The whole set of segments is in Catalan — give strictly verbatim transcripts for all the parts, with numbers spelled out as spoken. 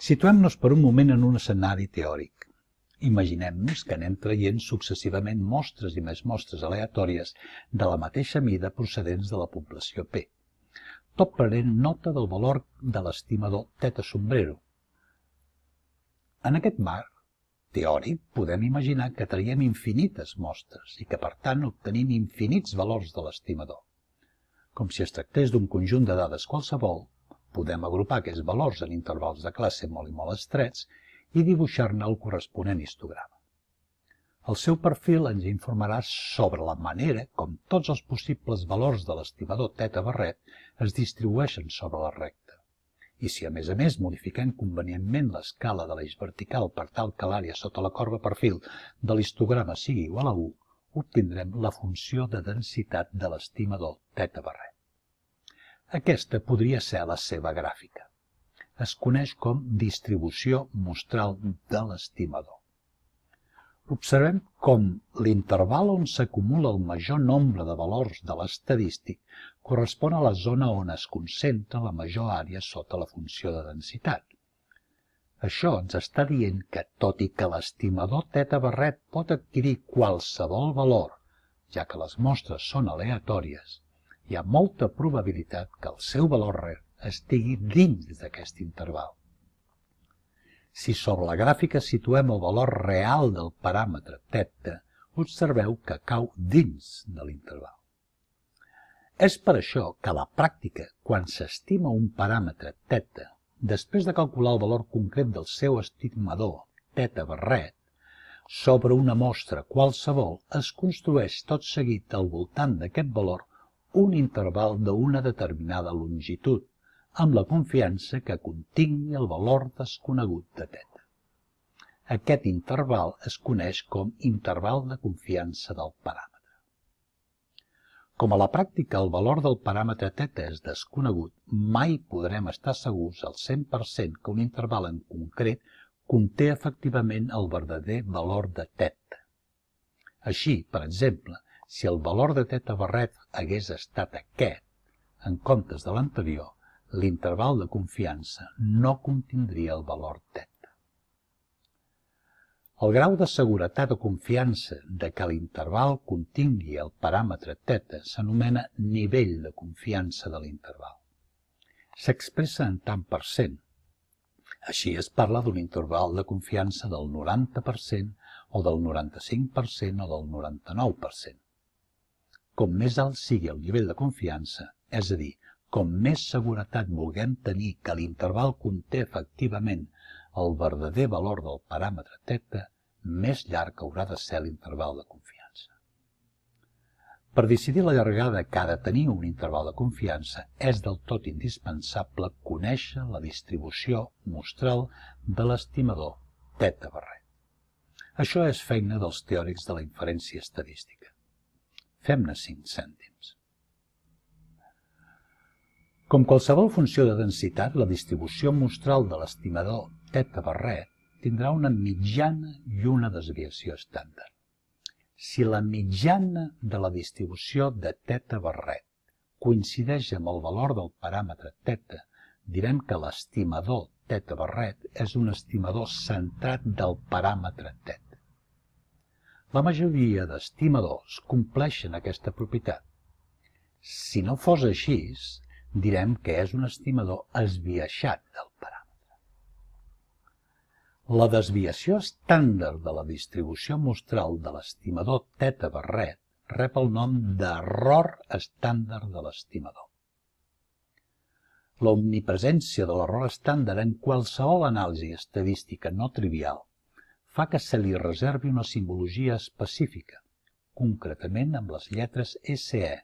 Situem-nos per un moment en un escenari teòric. Imaginem-nos que anem traient successivament mostres i més mostres aleatòries de la mateixa mida procedents de la població P, tot prenent nota del valor de l'estimador θ sombrero. En aquest marc teòric podem imaginar que traiem infinites mostres i que per tant obtenim infinits valors de l'estimador. Com si es tractés d'un conjunt de dades qualsevol, podem agrupar aquests valors en intervals de classe molt i molt estrets i dibuixar-ne el corresponent histograma. El seu perfil ens informarà sobre la manera com tots els possibles valors de l'estimador θ barret es distribueixen sobre la recta. I si a més a més modifiquem convenientment l'escala de l'eix vertical per tal que l'àrea sota la corba perfil de l'histograma sigui igual a u, obtindrem la funció de densitat de l'estimador θ barret. Aquesta podria ser la seva gràfica. Es coneix com distribució mostral de l'estimador. Observem com l'interval on s'acumula el major nombre de valors de l'estadístic correspon a la zona on es concentra la major àrea sota la funció de densitat. Això ens està dient que, tot i que l'estimador θ barret pot adquirir qualsevol valor, ja que les mostres són aleatòries, hi ha molta probabilitat que el seu valor estigui dins d'aquest interval. Si sobre la gràfica situem el valor real del paràmetre θ, observeu que cau dins de l'interval. És per això que a la pràctica, quan s'estima un paràmetre θ, després de calcular el valor concret del seu estimador θ barret, sobre una mostra qualsevol es construeix tot seguit al voltant d'aquest valor un interval d'una determinada longitud, amb la confiança que contingui el valor desconegut de θ. Aquest interval es coneix com interval de confiança del paràmetre. Com a la pràctica el valor del paràmetre θ és desconegut, mai podrem estar segurs al cent per cent que un interval en concret conté efectivament el verdader valor de θ. Així, per exemple, si el valor de θ barret hagués estat aquest, en comptes de l'anterior, l'interval de confiança no contindria el valor θ. El grau de seguretat o confiança de que l'interval contingui el paràmetre θ s'anomena nivell de confiança de l'interval. S'expressa en tant per cent. Així es parla d'un interval de confiança del noranta per cent o del noranta-cinc per cent o del noranta-nou per cent. Com més alt sigui el nivell de confiança, és a dir, com més seguretat vulguem tenir que l'interval conté efectivament el verdader valor del paràmetre θ, més llarg haurà de ser l'interval de confiança. Per decidir la llargada que ha de tenir un interval de confiança, és del tot indispensable conèixer la distribució mostral de l'estimador θ barret. Això és feina dels teòrics de la inferència estadística. Fem-ne cinc cèntims. Com qualsevol funció de densitat, la distribució mostral de l'estimador θ barret tindrà una mitjana i una desviació estàndard. Si la mitjana de la distribució de θ barret coincideix amb el valor del paràmetre θ, direm que l'estimador θ barret és un estimador centrat del paràmetre θ. La majoria d'estimadors compleixen aquesta propietat. Si no fos així, direm que és un estimador esbiaixat del paràmetre. La desviació estàndard de la distribució mostral de l'estimador θ barret rep el nom d'error estàndard de l'estimador. L'omnipresència de l'error estàndard en qualsevol anàlisi estadística no trivial fa que se li reservi una simbologia específica, concretament amb les lletres S E,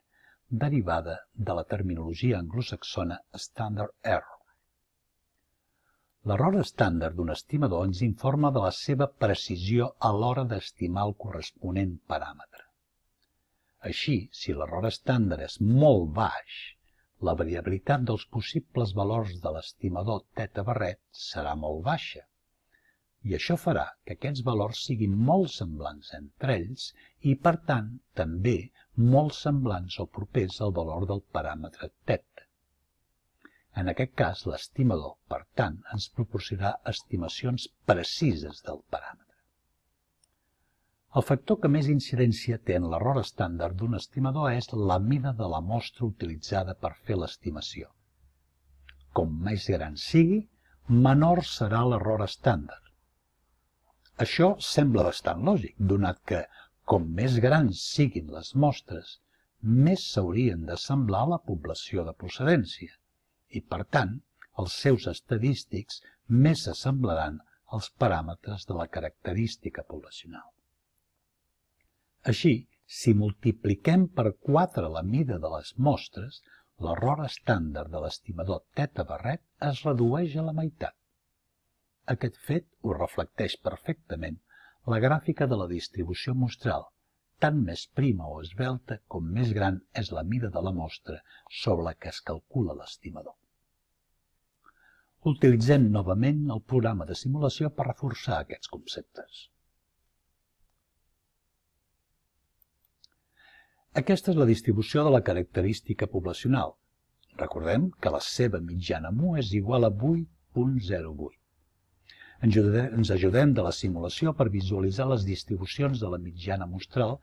derivada de la terminologia anglosaxona Standard Error. L'error estàndard d'un estimador ens informa de la seva precisió a l'hora d'estimar el corresponent paràmetre. Així, si l'error estàndard és molt baix, la variabilitat dels possibles valors de l'estimador θ barret serà molt baixa. I això farà que aquests valors siguin molt semblants entre ells i, per tant, també molt semblants o propers al valor del paràmetre θ. En aquest cas, l'estimador, per tant, ens proporcionarà estimacions precises del paràmetre. El factor que més incidència té en l'error estàndard d'un estimador és la mida de la mostra utilitzada per fer l'estimació. Com més gran sigui, menor serà l'error estàndard. Això sembla bastant lògic, donat que, com més grans siguin les mostres, més s'haurien d'assemblar a la població de procedència i, per tant, els seus estadístics més s'assemblaran als paràmetres de la característica poblacional. Així, si multipliquem per quatre la mida de les mostres, l'error estàndard de l'estimador teta barret es redueix a la meitat. Aquest fet ho reflecteix perfectament la gràfica de la distribució mostral, tant més prima o esvelta com més gran és la mida de la mostra sobre la que es calcula l'estimador. Utilitzem novament el programa de simulació per reforçar aquests conceptes. Aquesta és la distribució de la característica poblacional. Recordem que la seva mitjana mu és igual a vuit coma zero vuit. Ens ajudem de la simulació per visualitzar les distribucions de la mitjana mostral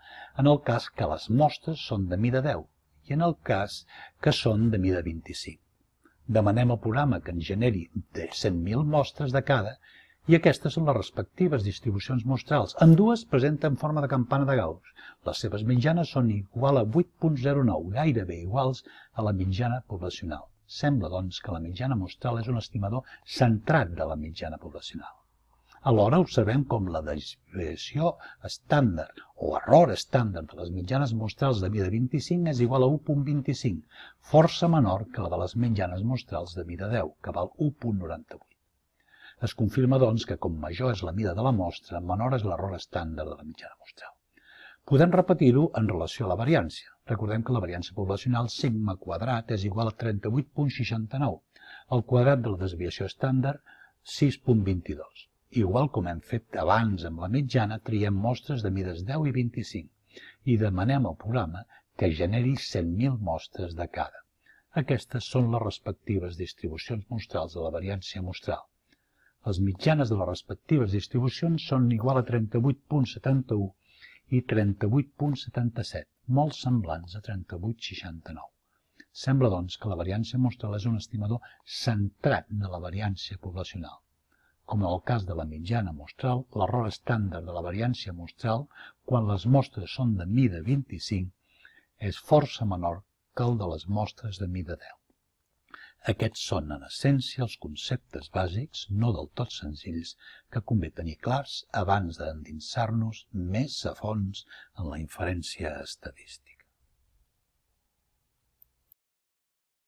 en el cas que les mostres són de mida deu i en el cas que són de mida vint-i-cinc. Demanem al programa que en generi de cent mil mostres de cada i aquestes són les respectives distribucions mostrals. Ambdues presenten forma de campana de Gauss. Les seves mitjanes són igual a vuit coma zero nou, gairebé iguals a la mitjana poblacional. Sembla, doncs, que la mitjana mostral és un estimador centrat de la mitjana poblacional. Alhora observem com la desviació estàndard o error estàndard de les mitjanes mostrals de mida vint-i-cinc és igual a u coma vint-i-cinc, força menor que la de les mitjanes mostrals de mida deu, que val u coma noranta-vuit. Es confirma, doncs, que com major és la mida de la mostra, menor és l'error estàndard de la mitjana mostral. Podem repetir-ho en relació a la variància. Recordem que la variància poblacional sigma quadrat és igual a trenta-vuit coma seixanta-nou, el quadrat de la desviació estàndard sis coma vint-i-dos. Igual com hem fet abans amb la mitjana, triem mostres de mides deu i vint-i-cinc i demanem al programa que generi cent mil mostres de cada. Aquestes són les respectives distribucions mostrals de la variància mostral. Les mitjanes de les respectives distribucions són igual a trenta-vuit coma setanta-u i trenta-vuit coma setanta-set, molt semblants a trenta-vuit coma seixanta-nou. Sembla, doncs, que la variància mostral és un estimador centrat de la variància poblacional. Com en el cas de la mitjana mostral, l'error estàndard de la variància mostral, quan les mostres són de mida vint-i-cinc, és força menor que el de les mostres de mida deu. Aquests són, en essència, els conceptes bàsics, no del tot senzills, que convé tenir clars abans d'endinsar-nos més a fons en la inferència estadística.